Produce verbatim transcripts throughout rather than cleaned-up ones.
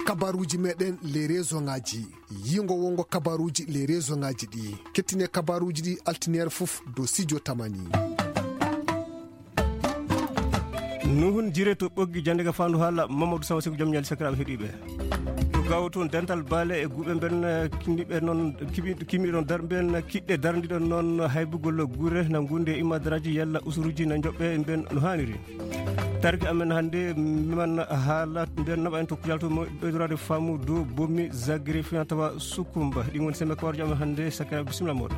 Kabaruuji meɗen les région ngaji. Yingo wongo kabaruuji les région ngaji ɗi. Kettine kabaruuji ɗi altiniere fof do Sidio Tamani. Nuhun jire to ɓoggi jande ga fandu hala Mamadou Sawa Seku jom ñali sakiraɓe heɗiɓe. To gawo toon dental baale e guɓe mben, eh, kinniɓe noon, kiɓi-, kimiɗon dar-, mben kiɗɗe dardiɗon noon haybugol gure na gunde imadraji yalla usuruji na joɓɓe mben no haniri. Tarki amen hannde, man haala nden naɓa en to kujal to mo ɓeydorade faamu dow bomi zagri fina tawa sukumba. Ɗin woni sembe kawarjo amen hannde, sakira, bisimilla moɗon.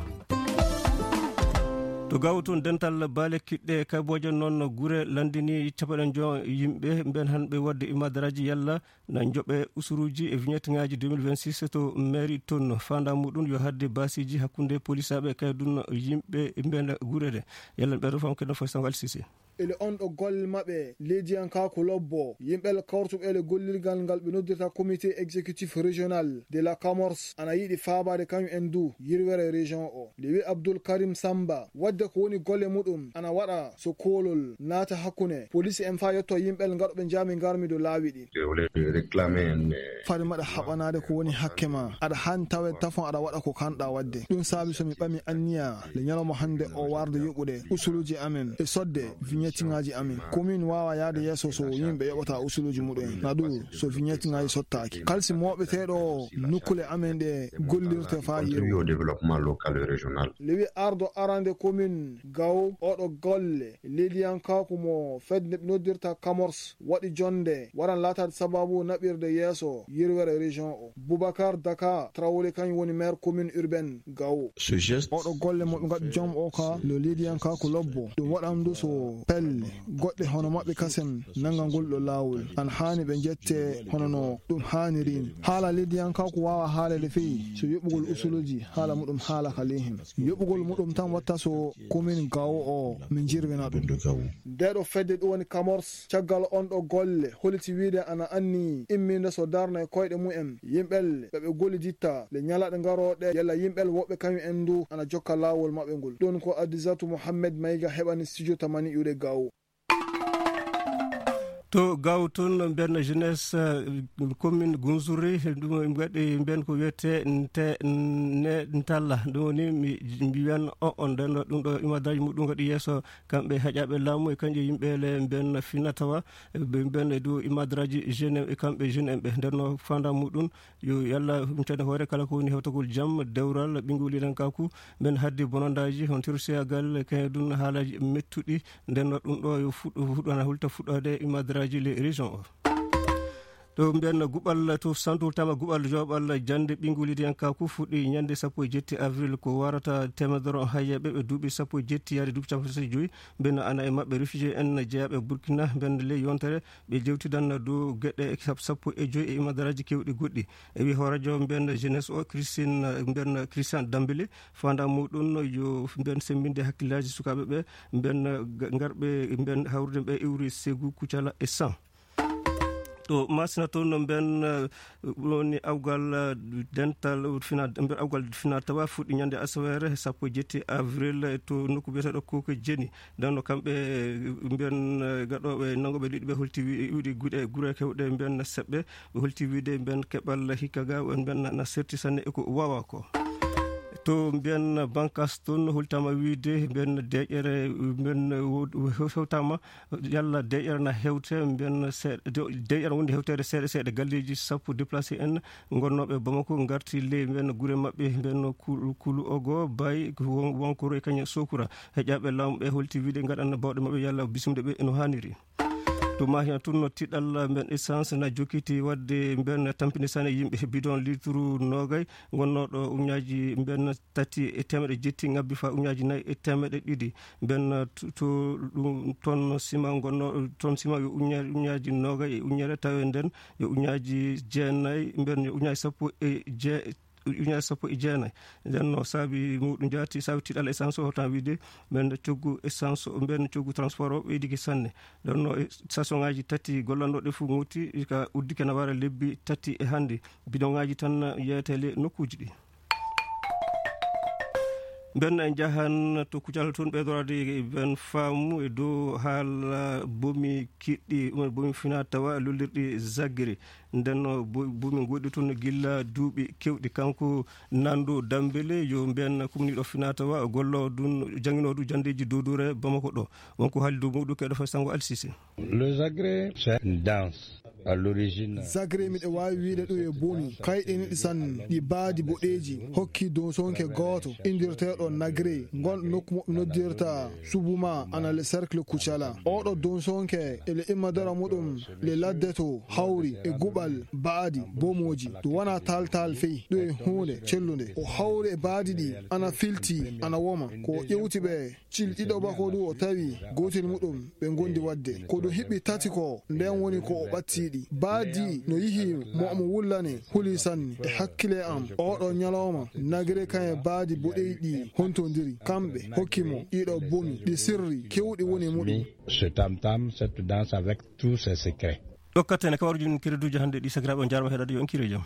To gawo toon dental baale kiɗɗe kabooje noon gure landini capanɗe njo yimɓe mben hanɓe wadde imadaraaji yalla na joɓe usuruji e vignette ngaji deux mille vingt-six to mairie toon. Fanda muɗum yo hadde basiji hakkunde polisaɓe kay ɗum yimɓe mben gurede. Yalla ɓeɗo fam keɗen fof sango alsisi. Ele on ɗo golle maɓɓe leydiyankaaku lobbo, yimɓe kawrutuɓe ele gollirgal ngal ɓe noddirta comité exécutif régional de la Camors ana yiɗi faabaade kañum en du yirwere région o. Le wi Abdoul Karim Samba, wadde ko woni golle muɗum ana waɗa so koolol naata hakkunde police en faa yetto yimɓe ngaɗoɓe jaami ngarmi dow laawi ɗi. Fade maɗa haɓanaade ko woni hakke ma, aɗa haani tawe tafon aɗa waɗa ko kanɗa waɗde. Ɗum saabi so mi ɓami anniya le ñalawma hannde o warde yoɓude usuluuji amen e sodde vignettingaaji amen. Komin waawa yahde yeeso so yimɓe yoɓata usuluuji muɗum en. Na ɗum so vignettingaaji sottaaki. Kalsi mooɓeteeɗo o nukkule amen ɗe gollirte faa yeru. Contribuer au développement local et régional. Le wi ardo arande komin Gawo oɗo golle leydiyankaaku mo fedde nde ɓe noddirta Camors waɗi jonde waran laataade sababu naɓirde yeeso yirwere région o. Boubacar Daka Traoré kañum woni maire commune urbaine Gawo. Oɗo golle mo ɓe ngaɗi jom o ka lo leydiyankaaku lobbo. Ɗum waɗan du so pelle goɗɗe hono maɓɓe kasem nanga ngol ɗo laawol. An haani ɓe jette hono no ɗum haaniri ni. Haala leydiyankaaku waawa haaleede fey so yoɓugol usuluuji haala muɗum haala ka ley hen. Yoɓugol muɗum tan watta so komin Gawo o min jirwina ɗum. Nde ɗo fedde ɗum woni Camors, caggal on ɗo golle, holiti wiide ana anni imminde so darna e koyɗe mumen yimɓel ɓe ɓe golliditta le ñalaɗe ngarooɗe, yalla yimɓel woɓɓe kañum en du ana jokka laawol maɓɓe ngol. Ɗum ko Adisatu Mohammed Mayga heɓani studio Tamani iwde Gawo. To Gawo toon, mbenna jeunesse, eh, commune Gunzuri, ɗum en mbaɗi mben ko wiyetee nte-, ne-, ntalla. Ɗum woni mi, mbiyan o, on nden ɗo, ɗum ɗo imadaraaji muɗum ngaɗi yeeso kamɓe heƴaaɓe laamu e kañƴe yimɓe le mben fina tawa, eh, ɓe mben e dow imadaraaji jeune e kamɓe jeune en ɓe. Nden no fanda muɗum yo Yalla humtane hoore kala ko woni hewtagol jam, dewral, ɓinngol leñinkaaku, mben haddi bonondaaji, on tersiyagal, kañum ɗum haalaaji mettuɗi, nden no ɗum ɗo yo fuɗɗo, fuɗɗo, ana hulta fuɗɗoode imadaraaji le région o. To mbiyan guɓal to santu tama guɓal joɓal jannde ɓinngol leñinkaaku fuɗɗi ñande sappo e jetti avril ko warata teemedere hayyeeɓe ɓe duuɓi sappo e jetti yaade duuɓi capanɗe tati e joyi, mben ana e maɓɓe réfugié en jeyaaɓe Burkina, mben ley yontere ɓe jewtidan dow geɗe sap-, sappo e joyi e imadaraaji kewɗi goɗɗi. E wi hooreejo mbiyan jeunesse o, Christine, mbiyan Christian Dambélé, fanda muɗum yo mbiyan semmbinde hakkillaaji sukaaɓe ɓe, mbiyan ga-, ngarɓe mbiyan hawrude ɓe iwri Ségou, Koutiala e San. To Masina toon no mbiyan, eh, woni awgal, eh, dental fina, mbiyan awgal fina tawa fuɗɗi ñande asaweere sappo e jetti avril, eh, to nokku biyeteeɗo Koke Jeni. Nden no kamɓe, eh, mbiyan, eh, gaɗooɓe nanngooɓe liɗɗi ɓe holti wi-, wiɗi guɗe gure kewɗe mbiyan seɓɓe, ɓe holti wiide mbiyan keɓal hikka ga, mbiyan na, na serti sanne e ko wawa ko. To mbiyan bankas toon holtama wiide mbiyan deƴƴere mbiyan wo-, wo-, hewtama yalla deƴƴere na hewte mbiyan seeɗa, de-, deƴƴere wonde hewtere seeɗa seeɗa galleeji sappo déplacé en ngonnooɓe Bamako ngarti ley mbiyan gure maɓɓe mbiyan Kulu, Kulu Ogo, Bay, Won-, Wonkoro e kañum Sokura. Heƴaaɓe laamu ɓe holti wiide ngaɗan bawɗe maɓɓe yalla bismde ɓe no haaniri. To Mahi toon no tiɗal mbiyan essence na jokkiti waɗde mbiyan tampinde sane yimɓe bidon litre noogay ngonnooɗo uñaaji mbiyan tati e teemeɗe jetti ngabbi faa uñaaji nayi e teemeɗe ɗiɗi. Mbiyan to, to ɗum toon sima ngonnoo, toon sima yo uña-, uñaaji noogay e uñere tawe nden yo uñaaji jeenayi, mbiyan yo uñaaji sappo e je-, uñaaji sappo e jeenayi. Nden no saabi muɗum jaati, saabi tiɗal essence o, tan wiide mbiyan coggu essence o, mbiyan coggu transport o ɓeydike sanne. Nden no e station ngaji tati gollanɗo ɗe fof ŋooti ka uddike na wara lebbi tati e hannde. Bidon ngaji tan yeete le nokkuji ɗi. Ɓen njahan to Kucala toon, ɓeydoraade ɓen faamu e dow haala bomi kiɗɗi, ɗum en bomi finaa tawa lollirɗi Zagreb. Nden bomi goɗɗi toon gilla duuɓi keewɗi. Kanko Nando Dambele, yo mbiyen kumniiɗo finaa tawa, golloo ɗum, jannginoo ɗum janndeeji duuduure Bamako ɗo. Wonko haali dow muuɗum keɗo fay sango Alsise. Le Zagreb, c'est une danse. À l'origine. Zagreb, miɗo waawi wiyde ɗum e bomi kayɗe niɗi sanne, ɗi baadi boɗeeji hokki donsonke gooto inndirteeɗo Nagre, ngon nokku mo noddirta Subuma, ana le cercle Kucala. Oɗo donsonke e le immadara muɗum le ladde to hawri e guɓal baadi bomoji. Ɗum wona taltal fey, ɗum e huunde cellunde. O hawri e baadi ɗi ana filti, ana woma. Ko o ƴewti ɓe cil ɗiɗo bako ɗum, o tawi gootel muɗum ɓe ngondi wadde. Ko ɗum hiɓɓi tati ko, nden woni ko o ɓatti ɗi. Baadi no yihi mo omo wullane, huli sanne e hakkile am. Oɗo ñalawma, Nagre kan e baadi boɗeyi ɗi hontondiri. Kamɓe hokki mo ɗiɗo bomi, ɗi sirri kewɗi woni muɗum. Ce tam-tam, cette danse avec tous ses secrets. Ɗokkata ene kawaruji ɗum kiriduji hannde ɗi sakiraaɓe on jaarma heɗade yo on kiri e jam.